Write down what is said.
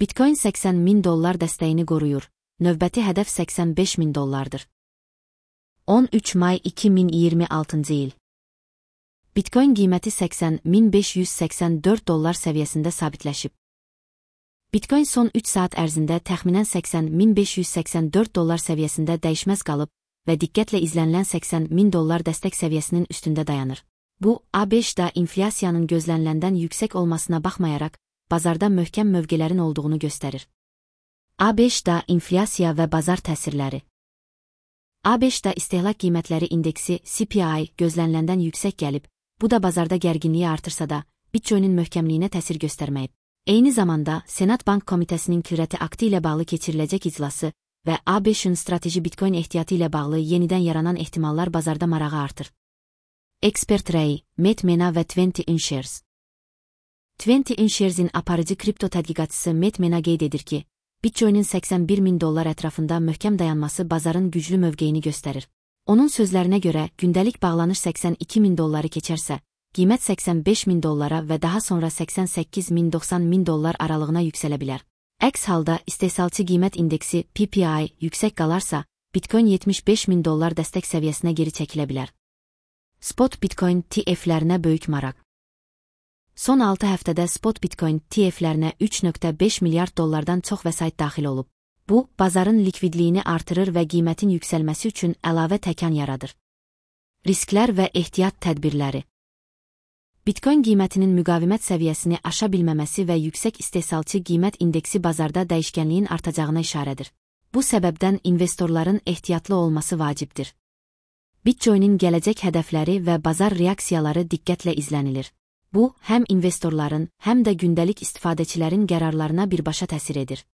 Bitcoin $80.000 dəstəyini qoruyur. Növbəti hədəf $85.000. 13 may 2026 il. Bitcoin qiyməti $80.584 səviyyəsində sabitləşib. Bitcoin son 3 saat ərzində təxminən $80.584 səviyyəsində dəyişməz qalıb və diqqətlə izlənilən $80.000 dəstək səviyyəsinin üstündə dayanır. Bu, ABŞ-da inflyasiyanın gözləniləndən yüksək olmasına baxmayaraq, bazarda möhkəm mövqələrin olduğunu göstərir. ABŞ-da inflyasiya və bazar təsirləri. ABŞ-da istehlak qiymətləri indeksi CPI gözləniləndən yüksək gəlib, bu da bazarda gərginliyi artırsa da, Bitcoinin möhkəmliyinə təsir göstərməyib. Eyni zamanda, Senat Bank Komitəsinin Kürəti aktı ilə bağlı keçiriləcək iclası və ABŞ-ın strateji Bitcoin ehtiyatı ilə bağlı yenidən yaranan ehtimallar bazarda marağı artır. Expert rəyi, Matt Mena və 20InShares. 20InShares-in aparıcı kripto tədqiqatçısı Matt Mena qeyd edir ki, Bitcoinin $81.000 ətrafında möhkəm dayanması bazarın güclü mövqeyini göstərir. Onun sözlərinə görə, gündəlik bağlanış $82.000 keçərsə, qiymət $85.000 və daha sonra $88.000-$90.000 aralığına yüksələ bilər. Əks halda, istehsalçı qiymət indeksi PPI yüksək qalarsa, Bitcoin $75.000 dəstək səviyyəsinə geri çəkilə bilər. Spot Bitcoin TF-lərinə böyük maraq. Son 6 həftədə Spot Bitcoin TF-lərinə $3.5 milyard çox vəsait daxil olub. Bu, bazarın likvidliyini artırır və qiymətin yüksəlməsi üçün əlavə təkan yaradır. Risklər və ehtiyat tədbirləri. Bitcoin qiymətinin müqavimət səviyyəsini aşa bilməməsi və yüksək istehsalçı qiymət indeksi bazarda dəyişkənliyin artacağına işarədir. Bu səbəbdən investorların ehtiyatlı olması vacibdir. Bitcoinin gələcək hədəfləri və bazar reaksiyaları diqqətlə izlənilir. Bu, həm investorların, həm də gündəlik istifadəçilərin qərarlarına birbaşa təsir edir.